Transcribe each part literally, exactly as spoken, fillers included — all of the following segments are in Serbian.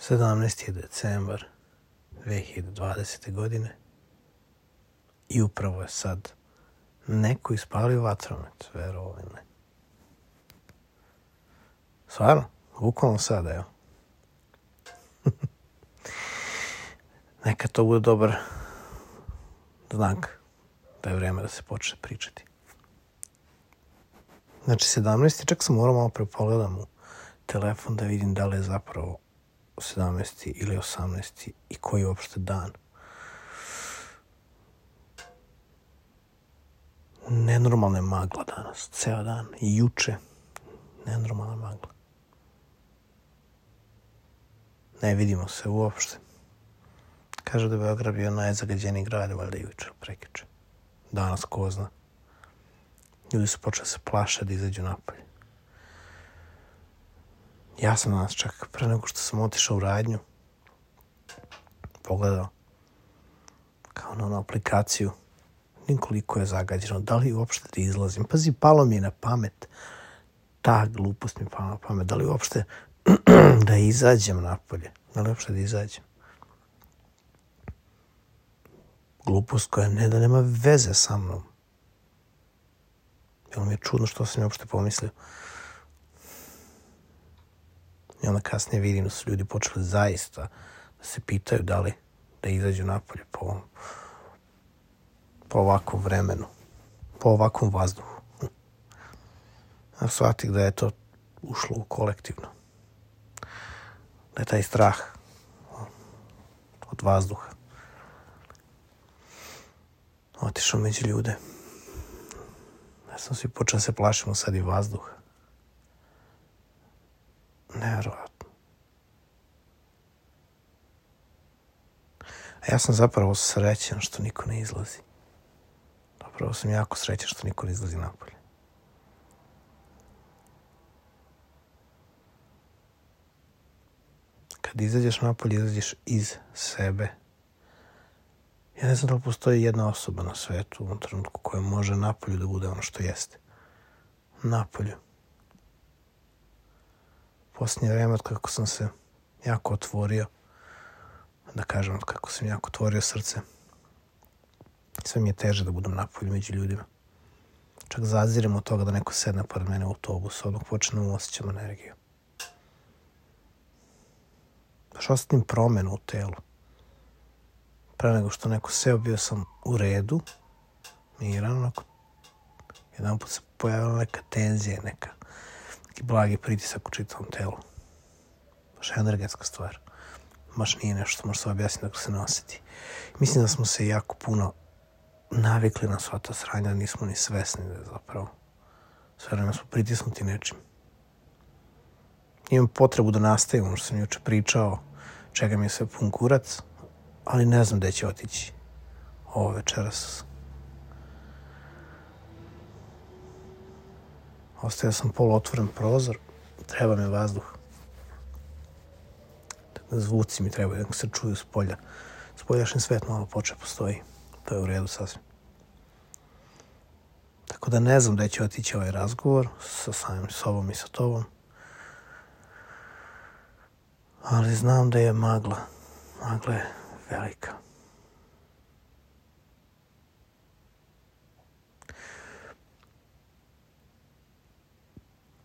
sedamnaesti decembar dve hiljade dvadesete. godine i upravo je sad neko ispalio vatromet, verovali ne. Stvarno, bukvalno sad, evo. Neka to bude dobar znak da je vreme da se počne pričati. Znači, sedamnaesti. Čak sam morao malo prepogledam u telefon da vidim da li je zapravo sedamnaesti ili osamnaesti i koji je uopšte dan. Nenormalna je magla danas, ceo dan. I juče, nenormalna magla. Ne vidimo se uopšte. Kaže da je Beograd bio najzagađeniji grad, valjda juče, prekjuče. Danas ko zna. Ljudi su počeli se plaše da izađu napolje. Ja sam danas čak pre nego što sam otišao u radnju pogledao kao na onu aplikaciju koliko je zagađeno, da li uopšte da izlazim. Pazi, palo mi je na pamet, ta glupost mi je pala na pamet, da li uopšte da izađem napolje, da li uopšte da izađem. Glupost koja ne da nema veze sa mnom. Bilo mi je čudno što sam je uopšte pomislio. I onda kasnije vidim da su ljudi počeli zaista da se pitaju da li da izađu napolje po ovom, po ovakvom vremenu, po ovakvom vazduhu. Ja shvatih da je to ušlo u kolektivno. Da je taj strah od vazduha otišao među ljude. Ja sam svi počeo se plašimo sad i vazduha. Nevjerovatno. A ja sam zapravo srećan što niko ne izlazi. Zapravo sam jako srećan što niko ne izlazi napolje. Kad izađeš napolje, izađeš iz sebe. Ja ne znam da li postoji jedna osoba na svetu u ovom trenutku koja može napolju da bude ono što jeste. Napolju. Posljednje vreme od kako sam se jako otvorio, da kažem od kako sam jako otvorio srce, sve mi je teže da budem napolju među ljudima. Čak zazirem od toga da neko sedne pored mene u autobusu, odmah počnem osjećam energiju. Baš osjetim promenu u telu. Pre nego što neko seo, bio sam u redu, miran, onako. Jedan put se pojavila neka tenzija, neka, neki blagi pritisak u čitavom telu. Baš energetska stvar. Baš nije nešto što može se objasniti dok se ne osjeti. Mislim da smo se jako puno navikli na sva ta sranja, da nismo ni svesni da je zapravo. Sve vreme smo pritisnuti nečim. Imam potrebu da nastavim ono što sam juče pričao, čega mi je sve pun kurac, ali ne znam gde će otići ovo večeras. Ostavio sam poluotvoren prozor, treba mi vazduh. Zvuci mi trebaju da se čuju s polja. Spoljašnji svet malo poče postoji. To je u redu sasvim. Tako da ne znam gde će otići ovaj razgovor sa samim sobom i sa tobom. Ali znam da je magla. Magla je velika.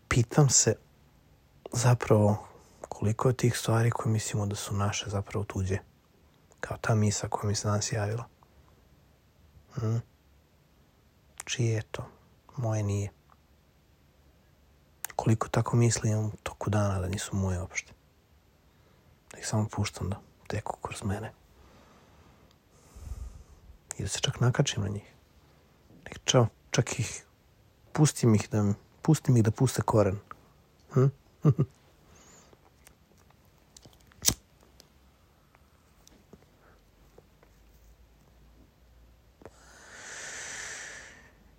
Pitam se zapravo koliko je tih stvari koje mislimo da su naše zapravo tuđe. Kao ta misa koja mi se danas javila. Hmm? Čije je to? Moje nije. Koliko tako mislim u toku dana da nisu moje uopšte. Da ih samo puštam da teku kroz mene. I da se čak nakačim na njih. Čak, čak ih pustim ih da, pustim ih da puste koren. Hm?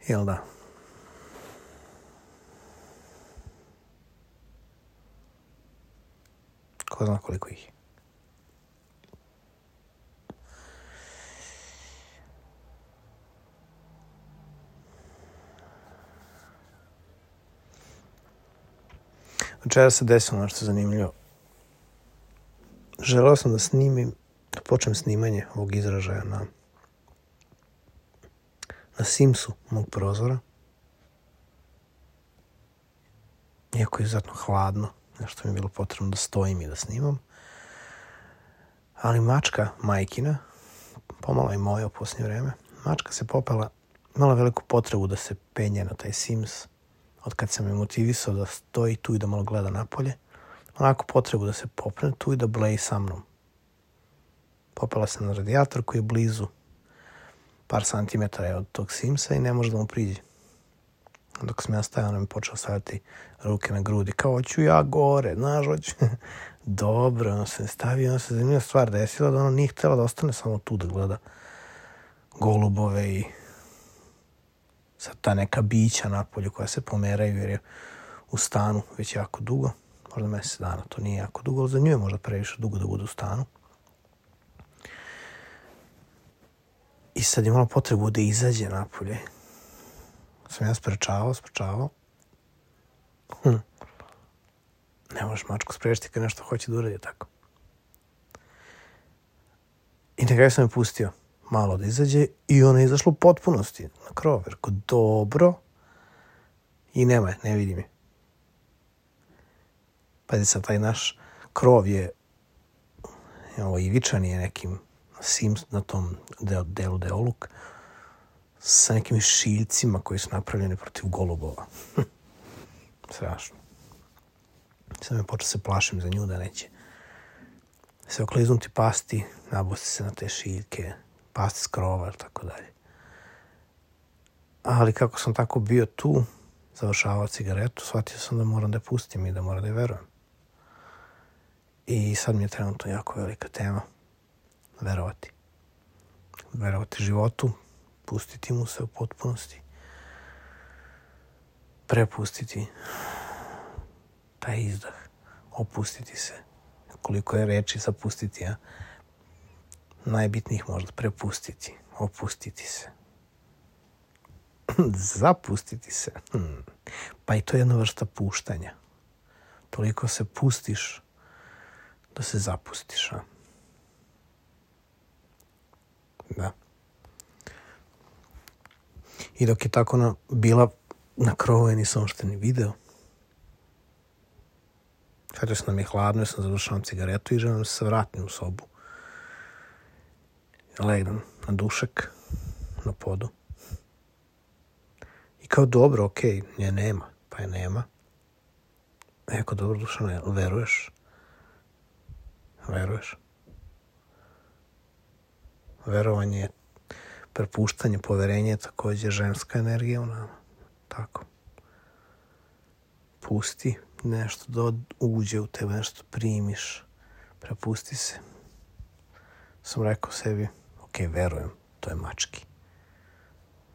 Jel da? Ko zna koliko ih je. Večera se desilo nešto zanimljivo. želeo sam da snimim, da počnem snimanje ovog izražaja na, na Simsu mog prozora. Iako je izuzetno hladno, nešto mi je bilo potrebno da stojim i da snimam. Ali mačka majkina, pomalo i moja u posljednje vreme, mačka se popela, imala veliku potrebu da se penje na taj Sims, od kad sam je motivisao da stoji tu i da malo gleda napolje, onako potrebu da se popne tu i da bleji sa mnom. Popela se na radijator koji je blizu par santimetara od tog Simsa i ne može da mu priđe. Dok sam ja stajao, ona mi počela staviti ruke na grudi, kao hoću ja gore, znaš, hoću. Dobro, ono se stavio, ono se zanimljiva stvar desila, da ona nije htjela da ostane samo tu da gleda golubove i sad ta neka bića napolju koja se pomeraju jer je u stanu već jako dugo, možda mjesec dana, to nije jako dugo, ali za nju je možda previše dugo da bude u stanu. I sad je imala potrebu da izađe napolje. Sam ja sprečavao, sprečavao. Hm. Ne možeš mačku sprečiti kad nešto hoće da uradi tako. I na kraju sam je pustio malo da izađe i ona je izašla u potpunosti na krov. Rekao, dobro. I nema je, ne vidim je. Pazi sad, taj naš krov je ovo ivičan je nekim Sims na tom delu, delu Deoluk sa nekim šiljcima koji su napravljeni protiv golubova. Strašno. Sad me počeo se plašim za nju da neće se okliznuti, pasti, nabosti se na te šiljke, pasti s krova, tako dalje. Ali kako sam tako bio tu, završavao cigaretu, shvatio sam da moram da je pustim i da moram da je verujem. I sad mi je trenutno jako velika tema verovati. Verovati životu, pustiti mu se u potpunosti, prepustiti taj izdah, opustiti se. Koliko je reči zapustiti, a najbitnijih možda prepustiti, opustiti se. Zapustiti se. Hmm. Pa i to je jedna vrsta puštanja. Toliko se pustiš da se zapustiš. A? Da. I dok je tako na, bila na krovu, ja nisam uopšte ni video. Kada sam nam je hladno, ja sam završavam cigaretu i želim da se vratim u sobu. Legnem na dušek, na podu. I kao dobro, okej, okay, nje nema, pa je nema. Eko, dobro, Dušane, veruješ? Veruješ? Verovanje je prepuštanje, poverenje je također ženska energija u nama. Tako. Pusti nešto da uđe u tebe, nešto primiš. Prepusti se. Sam rekao sebi, ok, verujem, to je mački.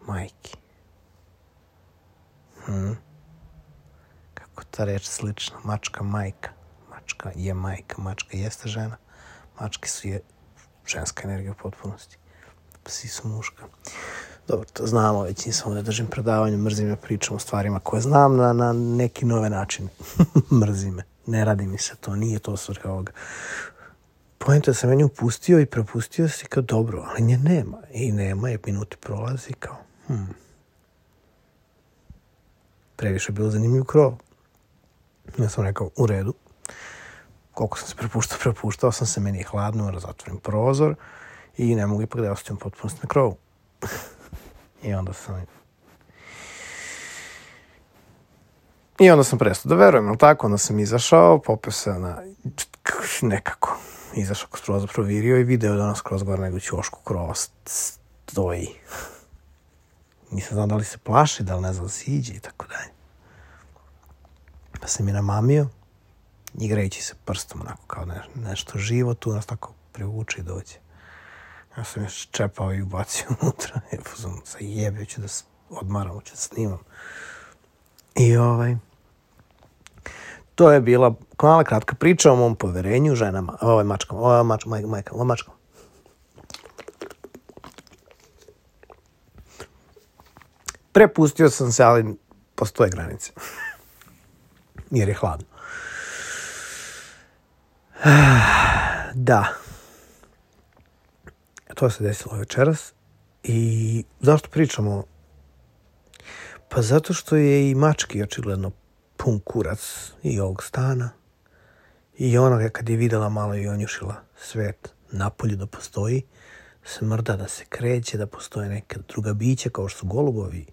Majki. Hmm. Kako ta reč slična? Mačka, majka. Mačka je majka, mačka jeste žena. Mački su je ženska energija u potpunosti. Psi su muška. Dobro, to znamo, već nisam da držim predavanje, mrzim me, pričam o stvarima koje znam na, na neki nove načine. Mrzim me, ne radi mi se to, nije to svrha ovoga. Poenta je sam meni upustio i prepustio si kao dobro, ali nje nema. I nema, je minuti prolazi kao, hmm. Previše je bilo zanimljiv krov. Ja sam rekao, u redu. Koliko sam se prepuštao, prepuštao sam se, meni je hladno, moram zatvorim prozor i ne mogu ipak da ostavim potpunosti na krovu. I onda sam... I onda sam prestao da verujem, ali tako, onda sam izašao, popeo se na... nekako. Izašao kroz prozor, provirio i video da ono skroz gore nego ćošku krova stoji. Nisam znao da li se plaši, da li ne znam da se iđe i tako dalje. Pa sam je namamio, igrajući se prstom, onako kao ne, nešto živo, tu nas tako privuče i dođe. Ja sam još čepao i ubacio unutra, ja sam se jebio, ću da odmaram, ću da snimam. I ovaj... To je bila mala kratka priča o mom poverenju ženama, ovaj mačkama, ovaj mač, maj, majka, ovaj mačkama. Prepustio sam se, ali postoje granice. Jer je hladno. da, to se desilo večeras. I zašto pričamo? Pa zato što je i mački očigledno pun kurac i ovog stana. I ona kad je videla malo i onjušila svet napolju da postoji, smrda, da se kreće, da postoje neka druga bića kao što su golubovi,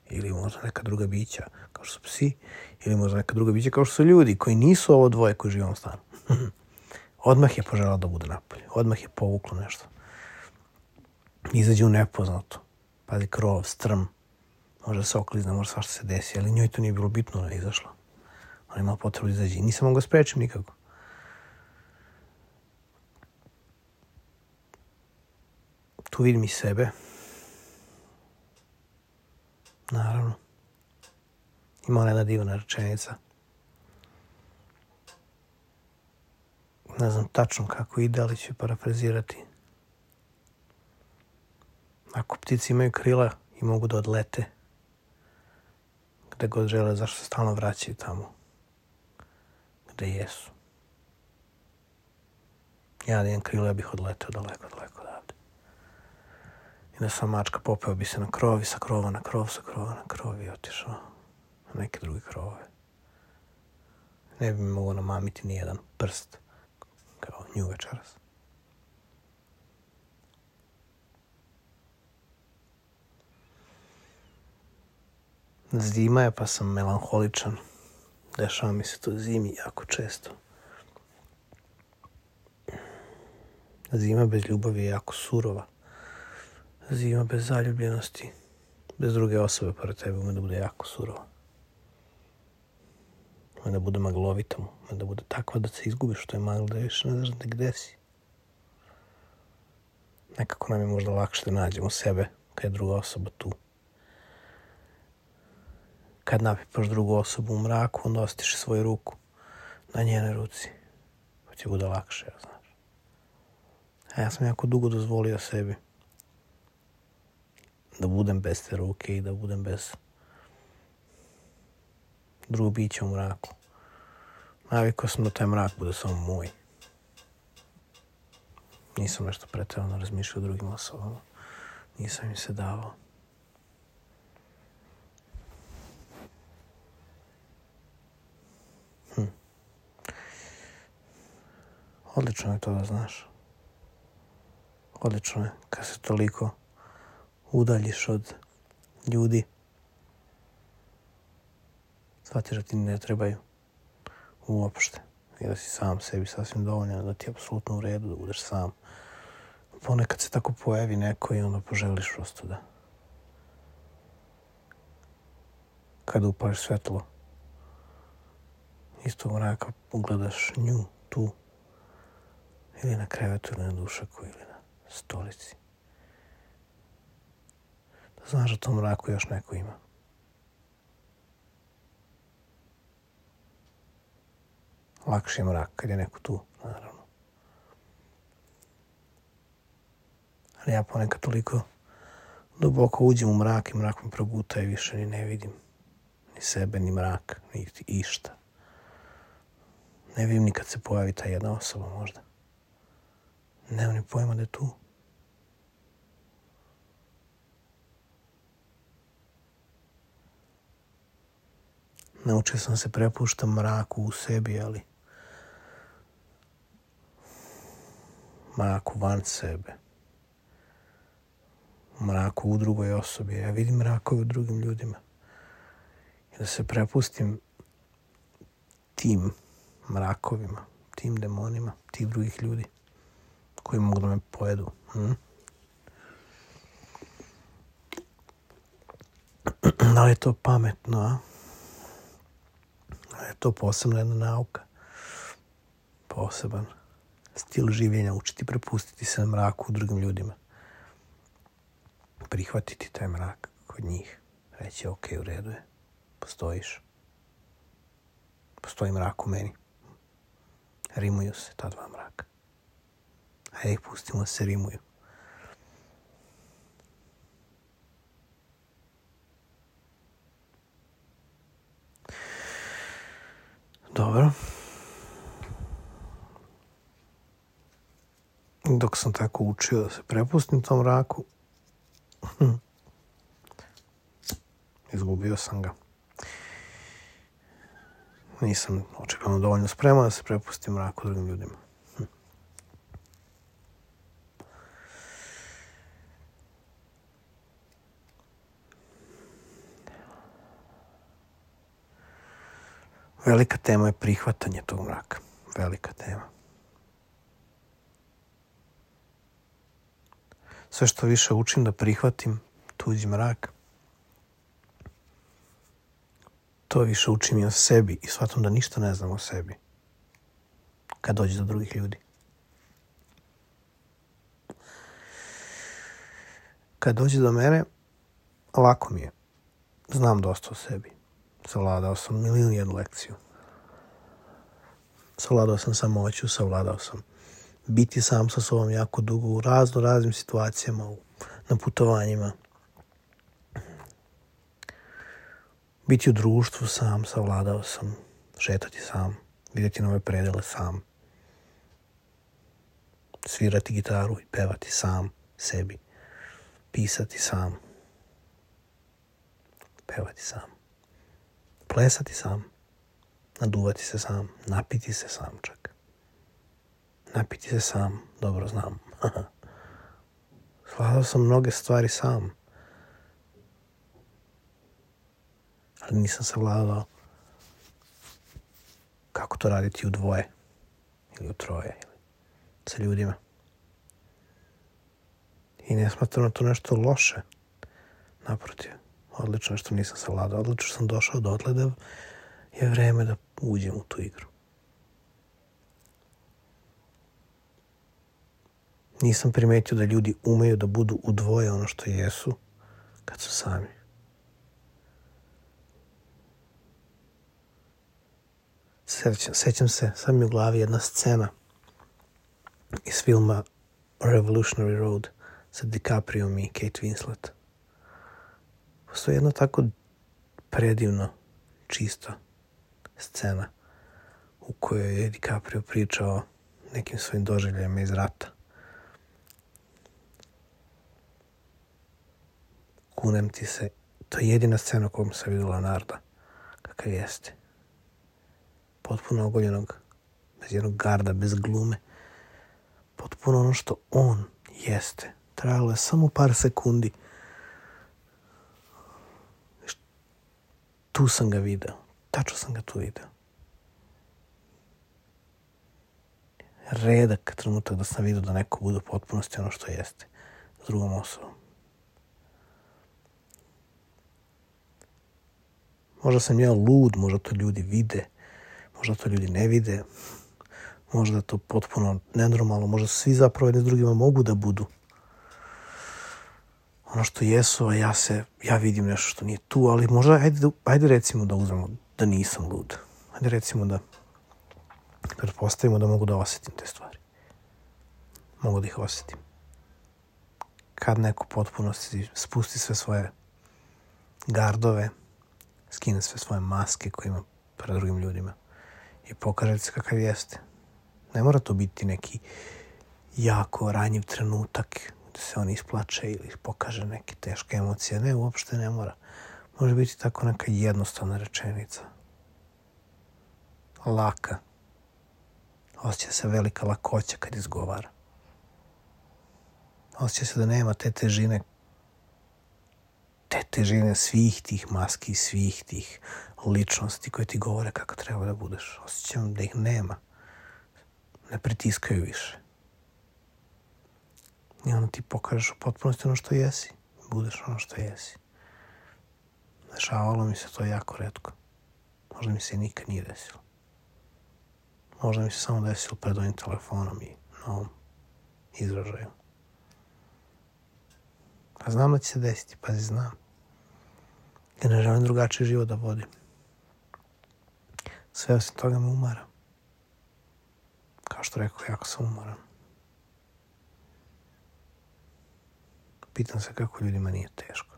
ili možda neka druga bića kao što su psi, ili možda neka druga bića kao što su ljudi koji nisu ovo dvoje koji žive u ovom stanu. Odmah je poželjela da bude napolje. Odmah je povuklo nešto. Izađe u nepoznato. Pazi, krov, strm. Može se oklizne, može svašta se desi, ali njoj to nije bilo bitno, ona je izašla. Ona je imala potrebu da izađe. Nisam mogla sprečim nikako. Tu vidim i sebe. Naravno. Ima ona jedna divna rečenica. Ne znam tačno kako ide, ali ću parafrazirati. Ako ptice imaju krila i mogu da odlete, gde god žele, zašto se stalno vraćaju tamo gde jesu. Ja da imam krila, ja bih odleteo daleko, daleko odavde. I da sam mačka, popeo bi se na krov i sa krova na krov, sa krova na krov i otišao na neke druge krovove. Ne bi mi mogao namamiti ni jedan prst kao nju večeras. Zima je pa sam melanholičan. Dešava mi se to zimi jako često. Zima bez ljubavi je jako surova. Zima bez zaljubljenosti, bez druge osobe pored tebe, ume da bude jako surova. Ume da bude maglovita, ume da bude takva da se izgubiš, što je magla, da više ne znaš gde si. Nekako nam je možda lakše da nađemo sebe kad je druga osoba tu. Kad napipaš drugu osobu u mraku, onda ostiš svoju ruku na njenoj ruci. Pa će bude lakše, ja znaš. A ja sam jako dugo dozvolio sebi da budem bez te ruke i da budem bez drugog bića u mraku. Navikao sam da taj mrak bude samo moj. Nisam nešto preterano razmišljao o drugim osobama. Nisam im se davao. Hm. Odlično je to da znaš. Odlično je kad se toliko udaljiš od ljudi. Shvatiš da ti ne trebaju uopšte. I da si sam sebi sasvim dovoljan, da ti je apsolutno u redu da budeš sam. Ponekad se tako pojavi neko i onda poželiš prosto da kada upališ svetlo iz tog mraka ugledaš nju tu ili na krevetu ili na dušaku ili na stolici. Da znaš da tom mraku još neko ima. Lakši je mrak kad je neko tu, naravno. Ali ja ponekad toliko duboko uđem u mrak i mrak me proguta i više ni ne vidim ni sebe, ni mrak, ni išta. Ne vidim ni kad se pojavi ta jedna osoba možda. Nemam ni pojma da je tu. Naučio sam se prepuštam mraku u sebi, ali mraku van sebe. Mraku u drugoj osobi. Ja vidim mrakove u drugim ljudima. I da se prepustim tim mrakovima, tim demonima, tih drugih ljudi koji mogu da me pojedu. Hm? Da li je to pametno, a? Da li je to posebna jedna nauka? Poseban stil življenja, učiti prepustiti se mraku u drugim ljudima. Prihvatiti taj mrak kod njih. Reći, ok, u redu je. Postojiš. Postoji mrak u meni. Rimuju se ta dva mraka. Hajde ih pustimo da se rimuju. Dobro. dok sam tako učio da se prepustim tom mraku, hm, izgubio sam ga. Nisam očigledno dovoljno spreman da se prepustim mraku drugim ljudima. Hm. Velika tema je prihvatanje tog mraka. Velika tema. Sve što više učim da prihvatim tuđi mrak, to više učim i o sebi i shvatam da ništa ne znam o sebi kad dođe do drugih ljudi. Kad dođe do mene, lako mi je. Znam dosta o sebi. Savladao sam milijun jednu lekciju. Savladao sam samoću, savladao sam biti sam sa sobom jako dugo u razno raznim situacijama, u, na putovanjima. Biti u društvu sam, savladao sam, šetati sam, vidjeti nove predele sam, svirati gitaru i pevati sam sebi, pisati sam, pevati sam, plesati sam, naduvati se sam, napiti se sam čak. Napiti se sam, dobro znam. Savladao sam mnoge stvari sam. Ali nisam savladao kako to raditi u dvoje ili u troje ili sa ljudima. I ne smatram to nešto loše. Naprotiv, odlično što nisam savladao. Odlično sam došao do dotle da je vreme da uđem u tu igru. Nisam primetio da ljudi umeju da budu u dvoje ono što jesu kad su sami. Sećam, sećam se, sad mi u glavi jedna scena iz filma Revolutionary Road sa DiCaprijom i Kate Winslet. Postoji jedna tako predivno čista scena u kojoj je DiCaprio pričao nekim svojim doživljajima iz rata. Kunem ti se, to je jedina scena kojom sam vidio Leonarda, kakav jeste. Potpuno ogoljenog, bez jednog garda, bez glume. Potpuno ono što on jeste. Trajalo je samo par sekundi. Tu sam ga video. Tačno sam ga tu video. Redak trenutak da sam vidio da neko bude u potpunosti ono što jeste. S drugom osobom. Možda sam ja lud, možda to ljudi vide. Možda to ljudi ne vide, možda je to potpuno nenormalno, možda svi zapravo jedni s drugima mogu da budu ono što jesu, a ja se, ja vidim nešto što nije tu, ali možda, ajde, ajde recimo da uzmemo da nisam lud. Ajde recimo da pretpostavimo da mogu da osjetim te stvari. Mogu da ih osjetim. Kad neko potpuno spusti sve svoje gardove, skine sve svoje maske koje ima pred drugim ljudima i pokaže se kakav jeste. Ne mora to biti neki jako ranjiv trenutak da se on isplače ili pokaže neke teške emocije. Ne, uopšte ne mora. Može biti tako neka jednostavna rečenica. Laka. Osjeća se velika lakoća kad izgovara. Osjeća se da nema te težine te težine svih tih maski, svih tih ličnosti koje ti govore kako treba da budeš. Osjećam da ih nema. Ne pritiskaju više. I onda ti pokažeš u potpunosti ono što jesi. Budeš ono što jesi. Dešavalo mi se to jako retko. Možda mi se nikad nije desilo. Možda mi se samo desilo pred ovim telefonom i na ovom izražaju. A znam da će se desiti, pazi, znam. Ja ne želim drugačiji život da vodim. Sve osim toga me umara. Kao što rekao, jako sam umoran. Pitam se kako ljudima nije teško.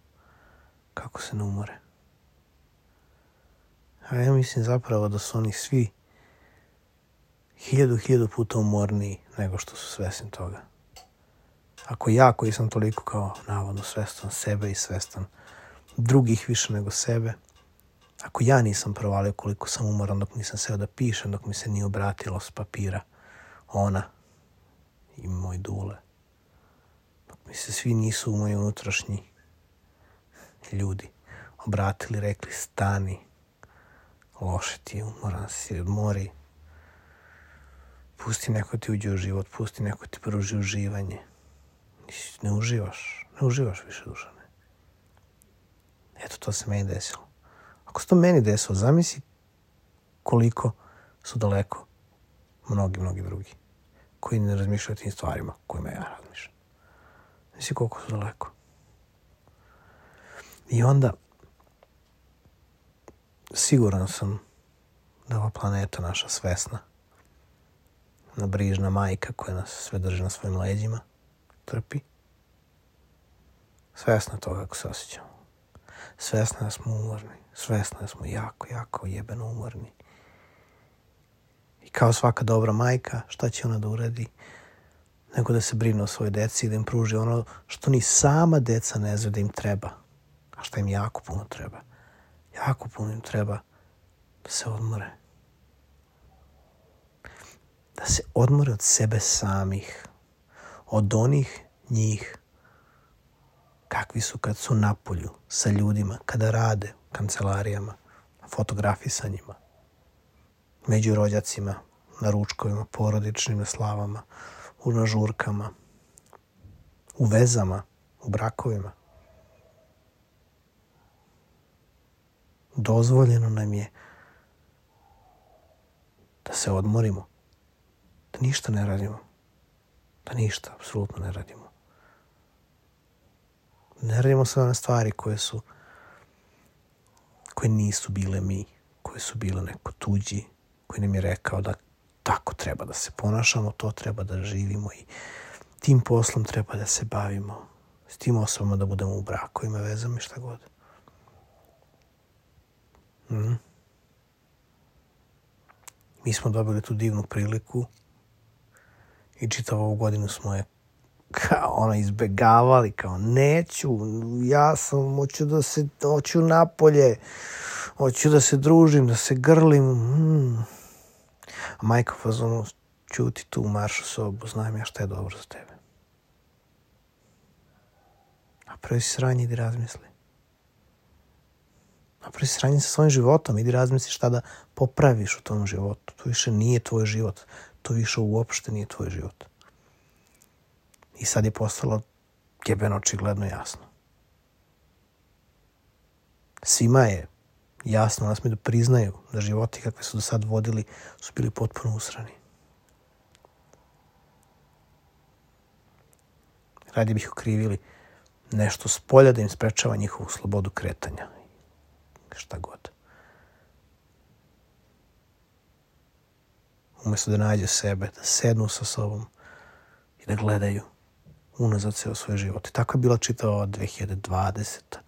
Kako se ne umore. A ja mislim zapravo da su oni svi hiljadu, hiljadu puta umorniji nego što su svesni toga. Ako ja koji sam toliko kao navodno svestan sebe i svestan drugih više nego sebe, ako ja nisam provalio koliko sam umoran dok nisam seo da pišem, dok mi se nije obratilo s papira ona i moj Dule, dok mi se svi nisu u moji unutrašnji ljudi obratili, rekli stani, loše ti je, umoran si, odmori, pusti neko ti uđe u život, pusti neko ti pruži uživanje. Ne uživaš, ne uživaš više, Dušane. Eto, to se meni desilo. Ako se to meni desilo, zamisli koliko su daleko mnogi, mnogi drugi koji ne razmišljaju o tim stvarima kojima ja razmišljam. Zamisli koliko su daleko. I onda siguran sam da ova planeta naša svesna, na brižna majka koja nas sve drži na svojim leđima, trpi. Svesna toga kako se osjećamo. Svesna da smo umorni. Svesna da smo jako, jako jebeno umorni. I kao svaka dobra majka, šta će ona da uradi? Nego da se brine o svojoj deci i da im pruži ono što ni sama deca ne znaju da im treba. A šta im jako puno treba. Jako puno im treba da se odmore. Da se odmore od sebe samih. Od onih njih kakvi su kad su napolju sa ljudima, kada rade u kancelarijama, fotografisanjima, među rođacima, na ručkovima, porodičnim na slavama, u nažurkama, u vezama, u brakovima. Dozvoljeno nam je da se odmorimo, da ništa ne radimo, da ništa, apsolutno ne radimo. Ne radimo sve one stvari koje su, koje nisu bile mi, koje su bile neko tuđi, koji nam je rekao da tako treba da se ponašamo, to treba da živimo i tim poslom treba da se bavimo, s tim osobama da budemo u brakovima, vezama i šta god. Mm. Mi smo dobili tu divnu priliku i čitavu ovu godinu smo je kao ono izbegavali, kao neću, ja sam, hoću da se, hoću napolje, hoću da se družim, da se grlim. Mm. A majka fazonu, ćuti tu, marš u sobu, znam ja šta je dobro za tebe. Napravi si sranje, idi razmisli. Napravi si sranje sa svojim životom, idi razmisli šta da popraviš u tom životu. To više nije tvoj život, to više uopšte nije tvoj život. I sad je postalo jebeno očigledno jasno. Svima je jasno, nas mi da priznaju da životi kakve su do sad vodili su bili potpuno usrani. Radije bih okrivili nešto s polja da im sprečava njihovu slobodu kretanja. Šta god. Umjesto da nađe sebe, da sednu sa sobom i da gledaju unazad ceo svoj život. I tako je bila čitava dve hiljade dvadeseta.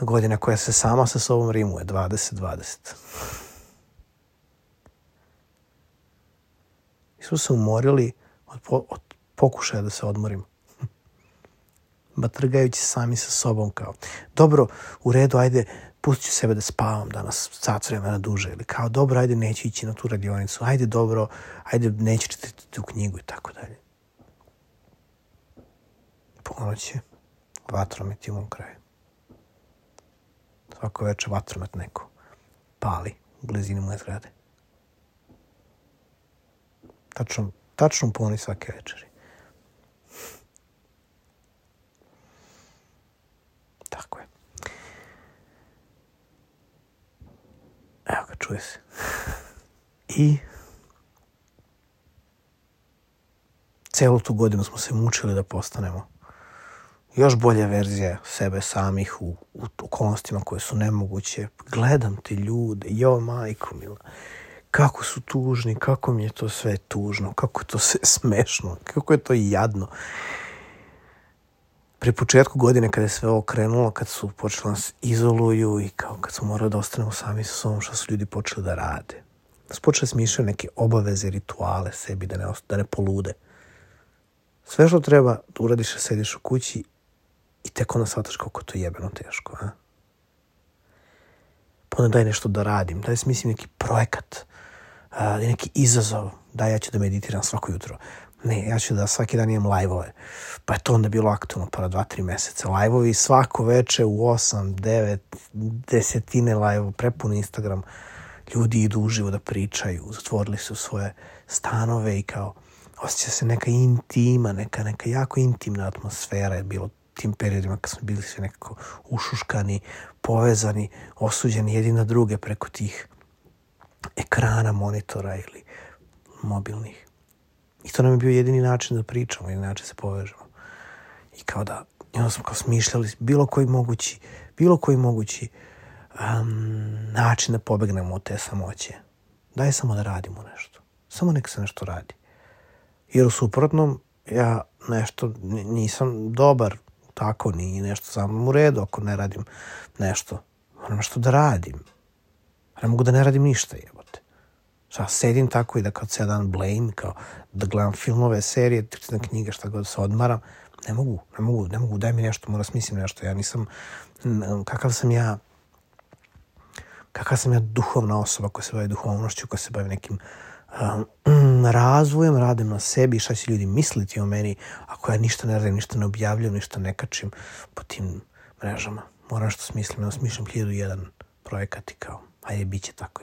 Godina koja se sama sa sobom rimuje, dvadeset dvadeset. Mi smo se umorili od, po, od pokušaja da se odmorimo. Batrgajući sami sa sobom kao, dobro, u redu, ajde, pustit ću sebe da spavam danas sat vremena duže. Ili kao, dobro, ajde, neću ići na tu radionicu. Ajde, dobro, ajde, neću čitati tu knjigu i tako dalje. Ponoć je, vatromet je u mom kraju. Svako večer vatromet neko pali u blizini moje zgrade. Tačno, tačno puni svake večeri. Tako je. Evo ga, čuje se. I celu tu godinu smo se mučili da postanemo još bolja verzija sebe samih u, u okolnostima koje su nemoguće. Gledam te ljude, jo majko mila, kako su tužni, kako mi je to sve tužno, kako je to sve smešno, kako je to jadno. Pri početku godine kada je sve ovo krenulo, kad su počeli nas izoluju i kao kad smo morali da ostanemo sami sa sobom, što su ljudi počeli da rade. Da su počeli smišljati neke obaveze, rituale sebi da ne, da ne polude. Sve što treba da uradiš, sediš u kući i tek onda shvataš kako to jebeno teško. A? Pa onda daj nešto da radim, daj smislim neki projekat, a, neki izazov, daj ja ću da meditiram svako jutro. Ne, ja ću da svaki dan imam live-ove. Pa je to onda bilo aktualno para dva, tri meseca. Live-ovi svako veče u osam, devet, desetine live-ova, prepun Instagram. Ljudi idu uživo da pričaju, zatvorili su svoje stanove i kao osjeća se neka intima, neka, neka jako intimna atmosfera je bilo tim periodima kad smo bili svi nekako ušuškani, povezani, osuđeni jedni na druge preko tih ekrana, monitora ili mobilnih. I to nam je bio jedini način da pričamo, jedini način da se povežemo. I kao da, i onda smo kao smišljali bilo koji mogući, bilo koji mogući um, način da pobegnemo od te samoće. Daj samo da radimo nešto. Samo nek se nešto radi. Jer u suprotnom, ja nešto nisam dobar, tako ni nešto samo u redu ako ne radim nešto. Moram nešto da radim. Ne mogu da ne radim ništa, jebote. Šta, sedim tako i da kao cijel dan blame, kao da gledam filmove, serije, čitam knjige, šta god se odmaram. Ne mogu, ne mogu, ne mogu, daj mi nešto, moram smislim nešto. Ja nisam, kakav sam ja, kakav sam ja duhovna osoba koja se bavi duhovnošću, koja se bavi nekim um, razvojem, radim na sebi, šta će ljudi misliti o meni ako ja ništa ne radim, ništa ne objavljam, ništa ne kačim po tim mrežama. Moram što smislim, ja smišljam hiljadu jedan projekat i kao, ajde, bit će tako.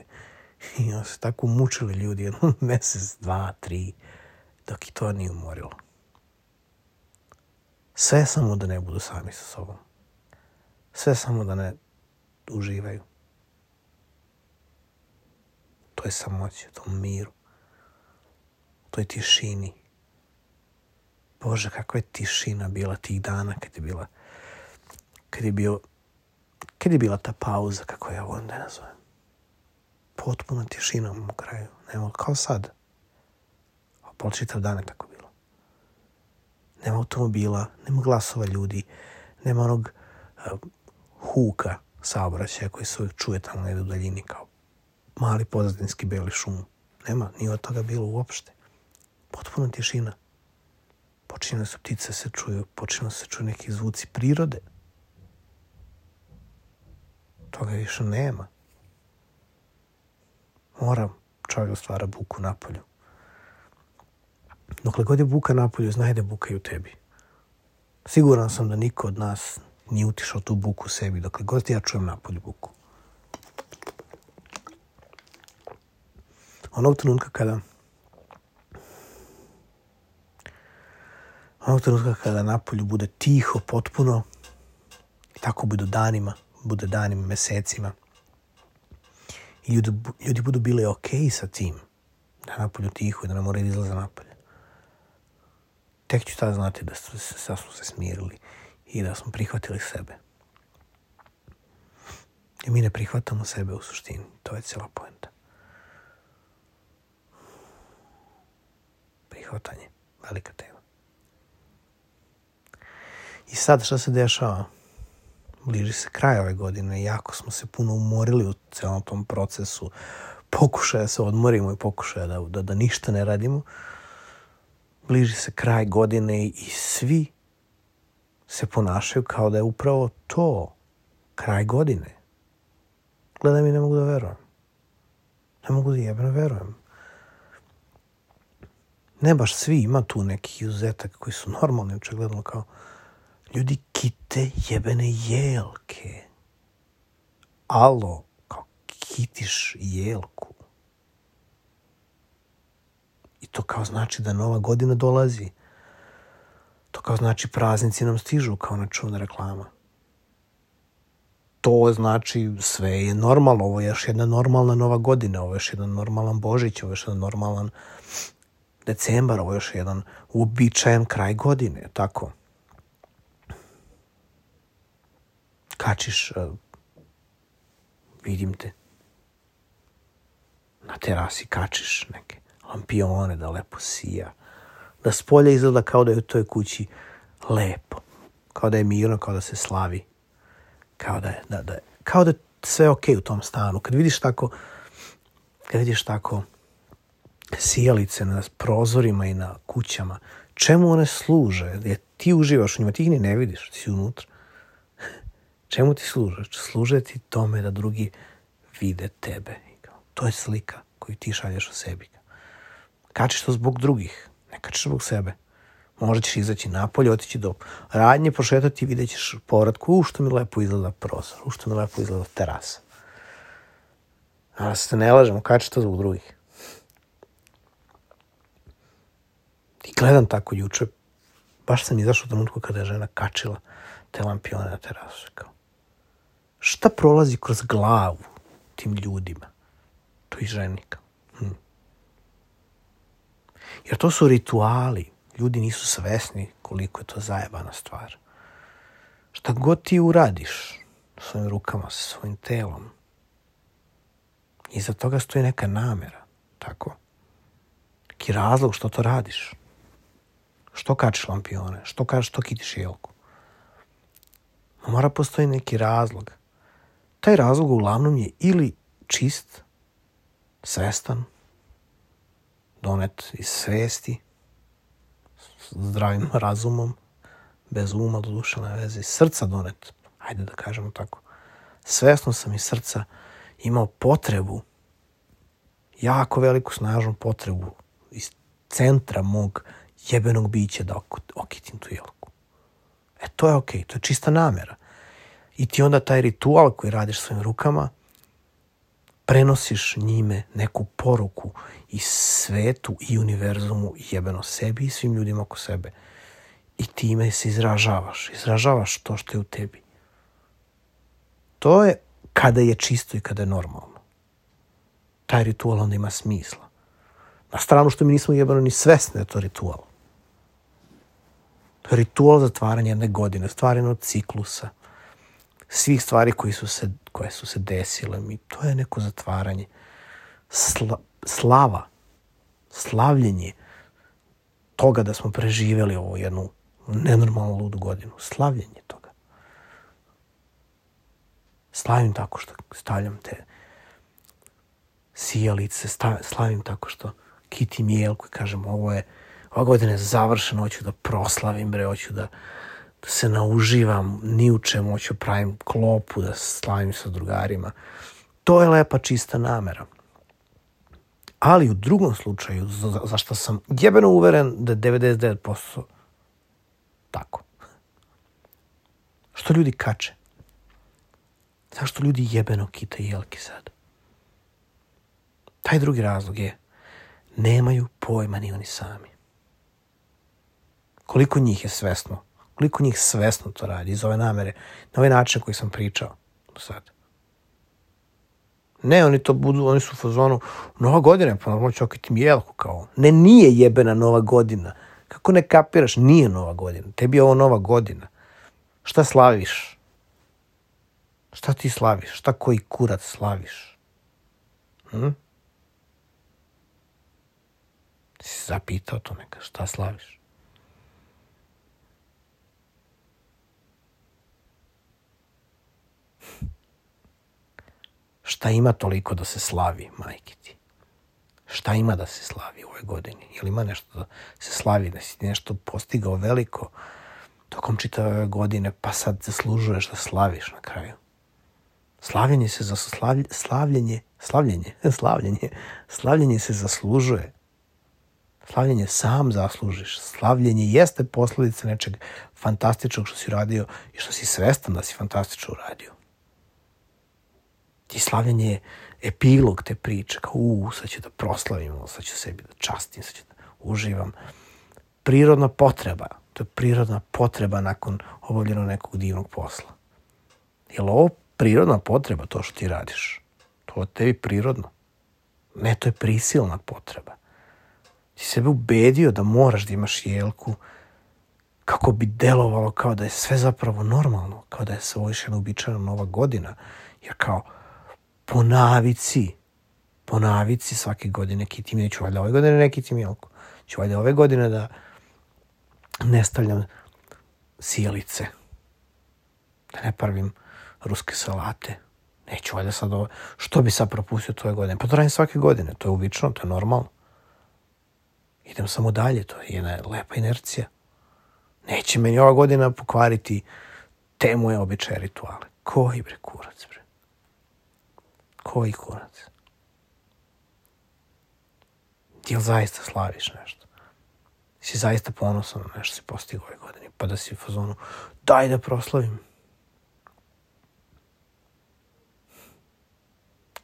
I onda se tako mučili ljudi jedno mesec, dva, tri, dok i to nije umorilo. Sve samo da ne budu sami sa sobom. Sve samo da ne uživaju. To je samoće, to miru. To je tišini. Bože, kakva je tišina bila tih dana kad je bila, kad je bio, kad je bila ta pauza, kako ja volim da je nazovem. Potpuna tišina u kraju. Nema, kao sad. A pol čitav dan je tako bilo. Nema automobila, nema glasova ljudi, nema onog uh, huka saobraćaja koji se uvijek čuje tamo negdje u daljini kao mali pozadinski beli šum. Nema, nije od toga bilo uopšte. Potpuna tišina. Počinjene su ptice se čuju, počinjene se čuju neki zvuci prirode. Toga više nema. Mora čovjek da stvara buku napolju. Dokle god je buka napolju, znaj da buka i u tebi. Siguran sam da niko od nas nije utišao tu buku u sebi, dokle god ja čujem napolju buku. Onog trenutka kada onog trenutka kada napolju bude tiho, potpuno, i tako bude danima, bude danima, mesecima, i ljudi, ljudi budu bili okej sa tim, da napolju tiho i da ne moraju izlaze napolje. Tek ću tada znati da smo se, da smo se smirili i da smo prihvatili sebe. I mi ne prihvatamo sebe u suštini. To je cijela poenta. Prihvatanje. Velika tema. I sad šta se dešava? Bliži se kraj ove godine. Jako smo se puno umorili u celom tom procesu. Pokušaja se odmorimo i pokušaja da, da, da ništa ne radimo. Bliži se kraj godine i svi se ponašaju kao da je upravo to kraj godine. Gledam i ne mogu da verujem. Ne mogu da jebeno verujem. Ne baš svi, ima tu nekih izuzetaka koji su normalni, očigledno kao ljudi kite jebene jelke. Alo, kao kitiš jelku. I to kao znači da nova godina dolazi. To kao znači praznici nam stižu kao nečuvna reklama. To znači sve je normalno. Ovo je još jedna normalna nova godina. Ovo je još jedan normalan Božić. Ovo je još jedan normalan decembar. Ovo je još jedan uobičajen kraj godine. Tako. Kačiš, uh, vidim te. Na terasi kačiš neke lampione da lepo sija. Da s polja izgleda kao da je u toj kući lepo. Kao da je mirno, kao da se slavi. Kao da je, da, da, kao da je sve okej u tom stanu. Kad vidiš tako, kad vidiš tako sijalice na prozorima i na kućama, Čemu one služe? Jer ti uživaš u njima, ti ih ni ne vidiš, ti si unutra. Čemu ti služe? Služe ti tome da drugi vide tebe. To je slika koju ti šalješ o sebi. Kačiš to zbog drugih, ne kačiš zbog sebe. Možda ćeš izaći napolje, otići do radnje, prošetati i vidjet ćeš povratku, u što mi lepo izgleda prozor, u što mi lepo izgleda terasa. A se ne lažemo, kačiš to zbog drugih. I gledam tako juče, baš sam izašao u trenutku kada je žena kačila te lampione na terasu. Kao, šta prolazi kroz glavu tim ljudima? To i ženi. Hm. Jer to su rituali. Ljudi nisu svesni koliko je to zajebana stvar. Šta god ti uradiš svojim rukama, sa svojim telom, iza toga stoji neka namera. Tako? Neki razlog što to radiš. Što kačiš lampione? Što kažeš, što kitiš jelku? Mora postoji neki razlog. Taj razlog uglavnom je ili čist, svestan, donet iz svesti, zdravim razumom, bez uma, do duše, na veze, iz srca donet, ajde da kažemo tako. Svesno sam iz srca imao potrebu, jako veliku, snažnu potrebu iz centra mog jebenog bića da okitim tu jelku. E, to je okej, to je čista namera. I ti onda taj ritual koji radiš svojim rukama, prenosiš njime neku poruku i svetu i univerzumu, jebeno sebi i svim ljudima oko sebe. I time se izražavaš. Izražavaš to što je u tebi. To je kada je čisto i kada je normalno. Taj ritual onda ima smisla. Na stranu što mi nismo jebeno ni svesni da je to ritual. To je ritual zatvaranja jedne godine, stvaranje od ciklusa, svih stvari koji su se, koje su se desile. I to je neko zatvaranje. Sla, slava, slavljenje toga da smo preživjeli ovu jednu nenormalnu ludu godinu. Slavljenje toga. Slavim tako što stavljam te sijalice, slavim tako što kitim jelku i kažem ovo je, ova godina je završena, hoću da proslavim, bre, hoću da da se nauživam ni u čemu, hoću pravim klopu, da slavim sa drugarima. To je lepa, čista namera. Ali u drugom slučaju, za, za što sam jebeno uveren da je devedeset devet posto tako. Što ljudi kače? Zašto ljudi jebeno kitaju jelke sad? Taj drugi razlog je nemaju pojma ni oni sami. Koliko njih je svesno Koliko njih svesno to radi iz ove namere, na ovaj način koji sam pričao do sad. Ne, oni to budu, oni su u fazonu, nova godina, pa normalno ću okitim jelku kao. Ne, nije jebena nova godina. Kako ne kapiraš, nije nova godina. Tebi je ovo nova godina. Šta slaviš? Šta ti slaviš? Šta koji kurac slaviš? Hm? Ti si zapitao to neka, šta slaviš? Šta ima toliko da se slavi, majke ti? Šta ima da se slavi u ovoj godini? Jel ima nešto da se slavi, da si ti nešto postigao veliko tokom čitave ove godine, pa sad zaslužuješ da slaviš na kraju? Slavljenje se za slavlj, slavljenje, slavljenje, slavljenje, slavljenje se zaslužuje. Slavljenje sam zaslužiš. Slavljenje jeste posljedica nečeg fantastičnog što si radio i što si svestan da si fantastično uradio. I slavljenje je epilog te priče, kao u, sad ću da proslavim, sad ću sebi da častim, sad ću da uživam. Prirodna potreba, to je prirodna potreba nakon obavljenog nekog divnog posla. Je li ovo prirodna potreba, to što ti radiš? To je tebi prirodno. Ne, to je prisilna potreba. Ti sebe ubedio da moraš da imaš jelku kako bi delovalo kao da je sve zapravo normalno, kao da je sve ovo jedna uobičajena nova godina, jer kao po navici, po navici svake godine kitim, neću valjda ove godine ne kitim jelku, ću valjda ove godine da ne stavljam sijalice, da ne pravim ruske salate, neću valjda sad ovo, što bi sad propustio to ove godine? Pa to radim svake godine, to je uobičajeno, to je normalno. Idem samo dalje, to je jedna lepa inercija. Neće meni ova godina pokvariti te moje običaje, rituale. Koji bre kurac, bre? Koji kurac? Jel zaista slaviš nešto? Si zaista ponosan na nešto si postigao ove godine, pa da si u fazonu, daj da proslavim.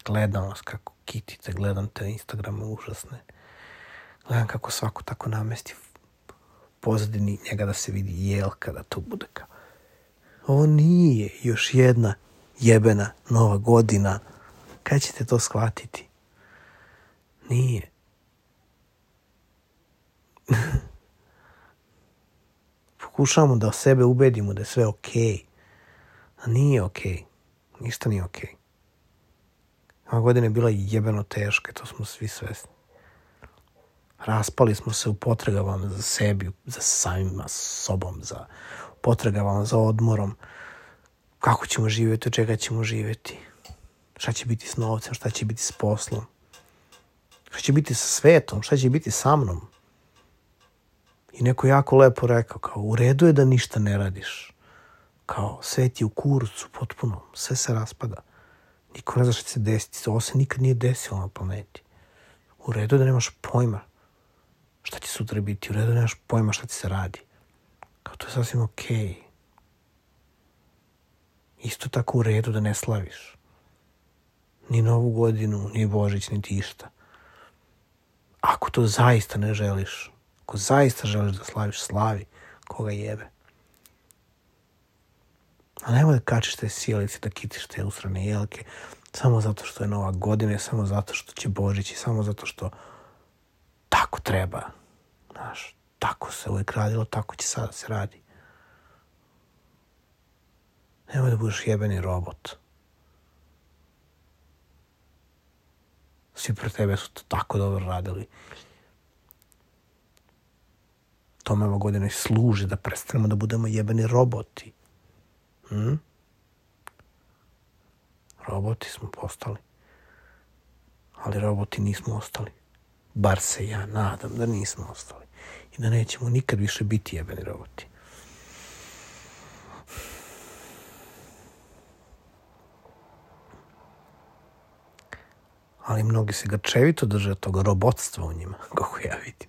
Gledam vas kako kitite, gledam te Instagrame užasne. Gledam kako svako tako namesti pozadini njega da se vidi jelka, da to bude kao. Ovo nije još jedna jebena nova godina. Kad ćete to shvatiti? Nije. Pokušavamo da sebe ubedimo da je sve okej. A nije okej. Ništa nije okej. Ova godina je bila jebeno teška, to smo svi svesni. Raspali smo se u potragama za sebi, za samima sobom, za potragama za odmorom. Kako ćemo živjeti, od čega ćemo živjeti. Šta će biti s novcem, šta će biti s poslom. Šta će biti sa svetom, šta će biti sa mnom. I neko jako lepo rekao, kao u redu je da ništa ne radiš. Kao svet je u kurcu potpuno, sve se raspada. Niko ne zna šta će se desiti, ovo se nikad nije desilo na planeti. U redu je da nemaš pojma šta će sutra biti, u redu je da nemaš pojma šta ti se radi. Kao to je sasvim okej. Isto tako u redu da ne slaviš. Ni Novu godinu, ni Božić, niti išta. Ako to zaista ne želiš, ako zaista želiš da slaviš, slavi, koga jebe. A nemoj da kačiš te sjelice, da kitiš te usrane jelke, samo zato što je Nova godina, samo zato što će Božić i samo zato što tako treba. Znaš, tako se uvijek radilo, tako će sada se radi. Nemoj da budeš jebeni robot. Svi pre tebe su to tako dobro radili. Tome ova godina i služi da prestanemo da budemo jebeni roboti. Hm? Roboti smo postali. Ali roboti nismo ostali. Bar se ja nadam da nismo ostali. I da nećemo nikad više biti jebeni roboti. Ali mnogi se grčevito drže od toga robotstva u njima, kako ja vidim.